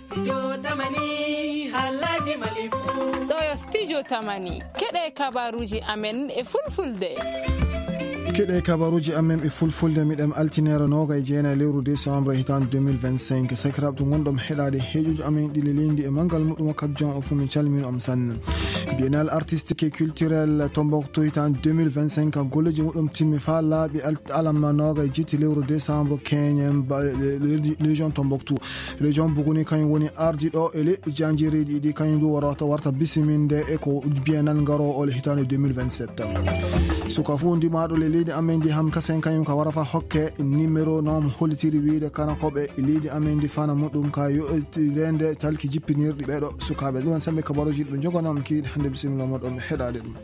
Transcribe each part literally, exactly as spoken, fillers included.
Studio Tamani, haalaaji Mali fuu. Ɗo yo Studio Tamani. Keɗe kabaruuji amen e fulfulde. Keɗe kabaruuji amen e fulfulde, miɗen altineere noogay e jeenay lewru décembre hitaande deux mille vingt-cinq. Sakiraaɓe to ngonɗon heɗaade heeƴuji amen ɗi leleyndi e manngal muɗum, wakkati jon o fuu min calmini on sanne. Biennale artistique et culturel Tombouctou hitaande deux mille vingt-cinq, golleeji muɗum timmi faa laaɓi al-, alarba noogay e jetti lewru décembre, keñen ba-, le-, le-, région Tombouctou. Région Bougouni kañum woni ardiiɗo e leyɗe jaanjeereeji ɗiɗi, kañum du warata, warta bisiminde e ko biennale ngaroowo o le hitaande deux mille vingt-sept. Suka fuu ndimaaɗo le leydi amen ndi, Ham Kasen, kañum ka wara faa hokke numéro no mo hollitiri wiyde kanakooɓe leydi amen ndi fana muɗum ka yo reende talki jippinirɗi ɓeeɗo sukaaɓe. Ɗum en sambe kabaruuji ɗi ɓe njogana on kiiɗi hannde, bisimilla moɗon heɗaade ɗum.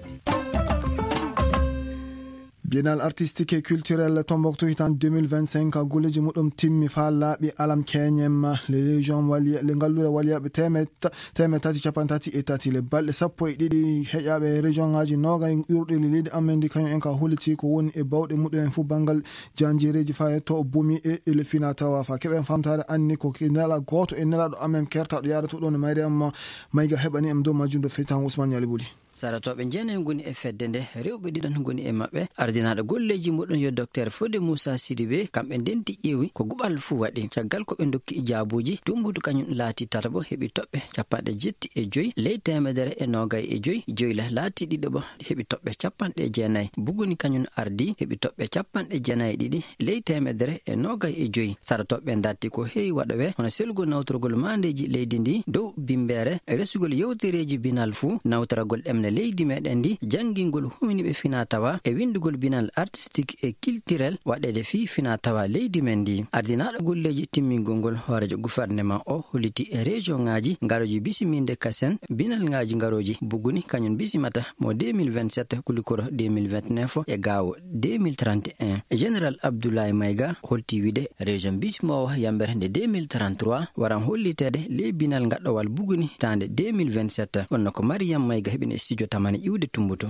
Biennale artistique et culturel Tombouctou hitaande deux mille vingt-cinq, golleeji muɗum timmi faa laaɓi alarba keñen. Le Légion waliya, le ngalluure waliyaaɓe teemed-, teemeɗɗe tati cappanɗe tati e tati. Le balɗe sappo e ɗiɗi heƴaaɓe région ŋaaji noogay ƴuurɗi le leydi amen ndi, kañum en ka holliti ko woni e bawɗe muɗum en fuu banngal jaanjeereeji faa yetto bumi e, e le fina tawa faa keɓen famtaare anni ko ke nela gooto e nelaaɗo amen kertaaɗo yaade to ɗoon e mayre am, Mayga heɓani am dow majjum do feytaango Ousmane Ñali Buli. Saratooɓe jeenay ngoni e fedde nde, rewɓe ɗiɗon ngoni e maɓɓe. Ardinaaɗo golleeji muɗum yo Docteur Fodé Moussa Sidibé, kamɓe ndenti ƴeewi ko guɓal fuu waɗi. Caggal ko ɓe ndokki jaabuuji, Tumbutu kañum laati tataɓo, heɓi toɓɓe cappanɗe jetti e joy ley teemedere e noogay e joy. Joyla laati ɗiɗaɓo, heɓi toɓɓe cappanɗe jeenay. Buguni kañum ardi, heɓi toɓɓe cappanɗe jeenay e ɗiɗi ley teemedere e noogay e joy. Saratooɓe ndarti ko heewi waɗowe, hono selgol nawtorgol maandeeji leydi ndi dow bimbeere, resugol yewtereeji biennale fuu, nawtoragol ɗemɗe leydi meɗen ndi, janngingol huminiiɓe fina tawa e winndugol biennale artistique et culturel waɗeede fii fina tawa leydi men ndi. Ardinaaɗo golleeji timmingol ngol hooreejo gouvernement o holliti e région ŋaaji ngarooji bisiminde Kasen, biennale ŋaaji ngarooji Buguni kañum bisimata mo deux mille vingt-sept, Kulikoro deux mille vingt-neuf e Gaawo deux mille trente et un. Général Abdoulaye Mayga holti wiyde région bisimoowo yammbere nde deux mille trente-trois waran holliteede ley biennale ngaɗɗowal Buguni hitaande deux mille vingt-sept. Kono ko Mariam Mayga heɓini e studio Tamani iwde Tumbutu.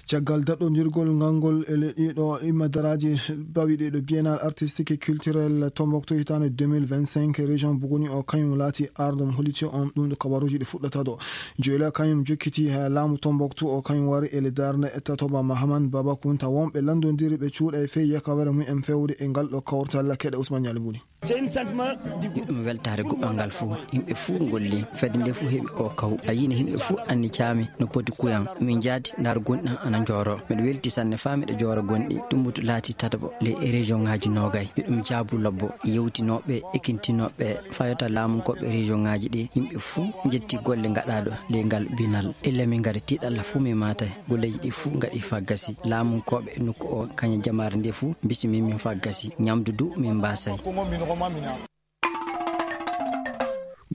Caggal daɗɗondirgol ngal ngol e le ɗiɗo immadaraaji bawiɗi ɗo Biennale artistique et culturel Tombouctou hitaande deux mille vingt-cinq, région Buguni o kañum laati arɗo mo holliti on ɗum ɗo kabaruuji ɗi fuɗɗata ɗo. Joyla kañum jokkiti ha laamu Tombouctou o kañum wari e le darnde e tatoba Mahaman Baba Kunta. Wonɓe lanndondiri ɓe cuuɗa e fey yakawere mum en fewde e ngal ɗo kawtal keɗe Ousmane Ñali Buli. Ɗum weltaare guɓal ngal fuu. Yimɓe fuu ngolli. Fedde nde fuu heɓi o kaw. A yini yimɓe fuu anni caami no poti kuyan. Min jaati ndaar gonɗi ana njooro. Miɗo welti sanne faa miɗo joora gonɗi. Tumbutu laati tataɓo ley e région ŋaaji noogay. Yo ɗum jaabu lobbo. Yewtinooɓe, ekintinooɓe, fayota laamunkooɓe région ŋaaji ɗi. Yimɓe fuu njetti golle ngaɗaaɗo ley ngal biennale. Illa min ngari tiiɗalla fuu mi maatay. Golleeji ɗi fuu ngaɗi faa gasi. Laamunkooɓe nokku o, kañum jamaare nde fuu, bisimi min faa gasi. Ñamdu du min mbaasay.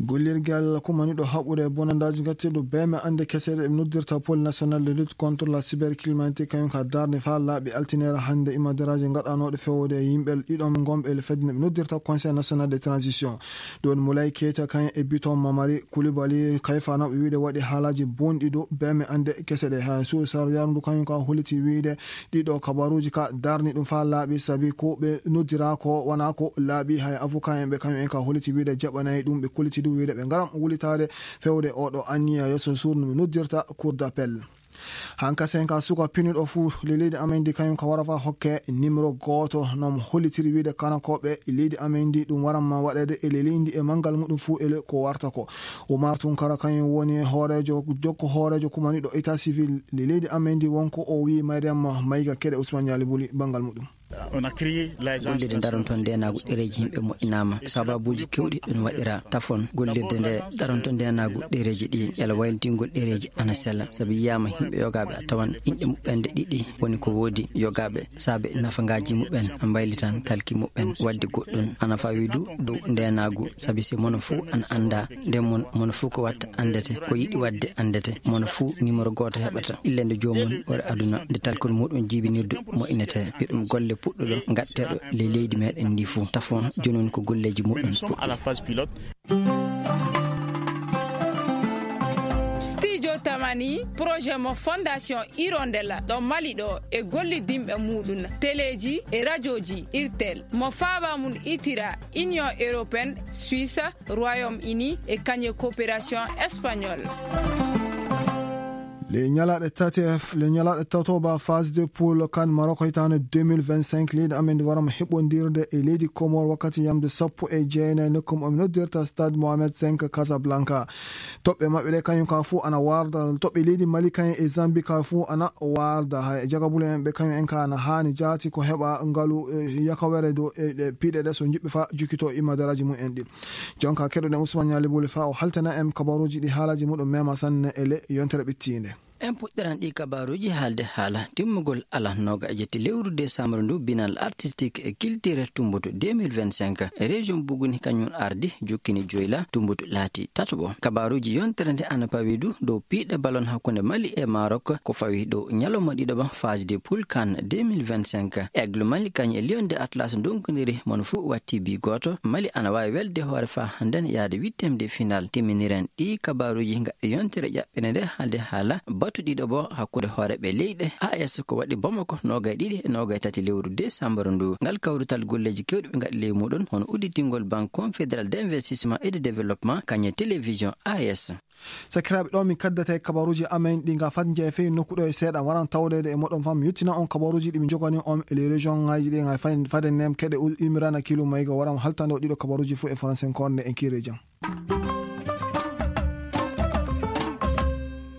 Gollirgal kumaniiɗo haɓude bonandaaji ngattirɗo beeme annde kese ɗe ɓe noddirta Pôle national de lutte contre la cybercriminalité, kañum ka darnde faa laaɓi altineere hannde immadaraaji ngaɗanooɗe fewde e yimɓe ɗiɗon ngonɓe e le fedde nde ɓe noddirta Conseil national de transition. Ɗon Moulay Keita kañum e Biton Mamari Koulibaly, kayfanooɓe wiyde waɗi haalaaji bonɗi dow beeme annde kese ɗe. Haa Sow Sar Yarndu kañum ka holliti wiyde ɗiɗo kabaruuji ka darni ɗum faa laaɓi, sabi ko ɓe noddira ko wonaa ko laaɓi. Hay avocat en ɓe kañum en ka holliti wiyde jaɓanaay ɗum. Ɓe kolliti du wiyde ɓe ngaran wulitaade fewde oɗo anniya yeeso suudu no ɓe noddirta Cour d'appel. Hankasen ka suka pinuɗo fuu le leydi amen ndi kañum ka wara faa hokke numéro gooto no mo hollitiri wiyde kanakooɓe leydi amen ndi ɗum waran ma waɗeede e le leydi e manngal muɗum fuu e le ko warta ko. Oumar Tounkara kañum woni hooreejo, jokko hooreejo kumaniiɗo état civil le leydi amen ndi, wonko o wiyi Mariam Mayga keɗe Ousmane Ñali Buli banngal muɗum. Gollirde daronto ndeenaagu ɗereeji yimɓe moƴƴinaama. Sababuuji keewɗi ɗum waɗira tafon gollirde nde daronto ndeenaagu ɗereeji ɗi. Yalla waylitingol ɗereeji ana sella. Sabi yiyaama yimɓe yogaaɓe a tawan inɗe muɓɓen nde ɗiɗi woni ko woodi yogaaɓe. Saabe nafangaaji muɓɓen a mbaylitan kalki muɓɓen. Waɗde goɗɗum ana fawi du dow ndeenaagu. Sabi si mono fuu ana annda, nden mon, mono fuu ko watta anndete. Ko yiɗi waɗde anndete. Mono fuu numéro gooto heɓata. Illa nde joomum wari aduna, nde talkol muɗum jibinirdu moƴƴinete. Yo ɗum golle puɗɗuɗo, ngaɗteeɗo ley leydi meɗen ndi fuu. Tafon, jooni woni ko golleeji muɗum puɗɗi. Studio Tamani projet mo Fondation Hirondella ɗo Mali ɗo e gollidinɓe muɗum teleeji e rajooji Irtel mo faaba mum itira Union Européenne, Suisse, Royaume-Uni e kañe coopération espagnole. Le ñalaɗe tati le ñalaɗe tatoba phase de poule kan Maroc hitande deux mille vingt-cinq leydi amen ndi warama heɓondirde e leydi Comore wakkati yamde sappo e jeenayi nokkum omi noddirta stade Mohamed cinq Casablanca. Toɓɓe maɓɓe ɗe kañum ka fuu ana warda toɓɓe leydi Mali kañum e Zambie ka fuu ana warda hay jagabule en ɓe kañum en ka ana haani jaati ko heɓa ngalu yakawere dow e ɗe piɗe ɗe so jiɓɓe fa jukkito imadaraji mumen ɗi. Jonka keɗoɗen Ousmane Ñaali Buli fa o haltana en kabaruuji ɗi haalaji muɗum mema sanne e le yontere ɓittiinde. En puɗɗiran ɗi kabaruuji haalde haala timmugol ala nooga e jetti lewru décembre ndu binal artistique e culture tumbutu deux mille vingt-cinq e région Buguni kañum ardi jukkini joyla tumbutu laati tatuɓo. Kabaruuji yontere nde ana pawi du dow piiɗe balon hakkunde Mali e Maroc ko fawi dow ñalawma ɗiɗo ba phase de poule kan deux mille vingt-cinq. Aigle Mali kañum e Lion de Atlas ndonkodiri mon fuu watti bi gooto. Mali ana waawi welde hoore faa hannden yaade huitième de finale. Timminiren ɗi kabaruuji gaɗɗe yontere ƴaɓɓene nde haalde haala batu ɗiɗo bo hakkunde hooreeɓe leyɗe A S ko waɗi Bamako noogay ɗiɗi e noogay tati lewru décembre ndu. Ngal kawrital golleeji kewɗi ɓe ngaɗi ley muɗum hono udditingol Banque Confédérale d'Investissement et de Développement kañum e télévision A S. Sakiraaɓe, ɗo min kaddata e kabaruuji amen ɗi ga fat jeefe nokku ɗo e seeɗa waran tawdeede e moɗon fam yettina on kabaruuji ɗi min jogani on e les région ngaji ɗi ga fay- faden nem keɗe u- imirana kilu mayga waran haltande o ɗiɗo kabaruuji fof e français korne en kiri jam.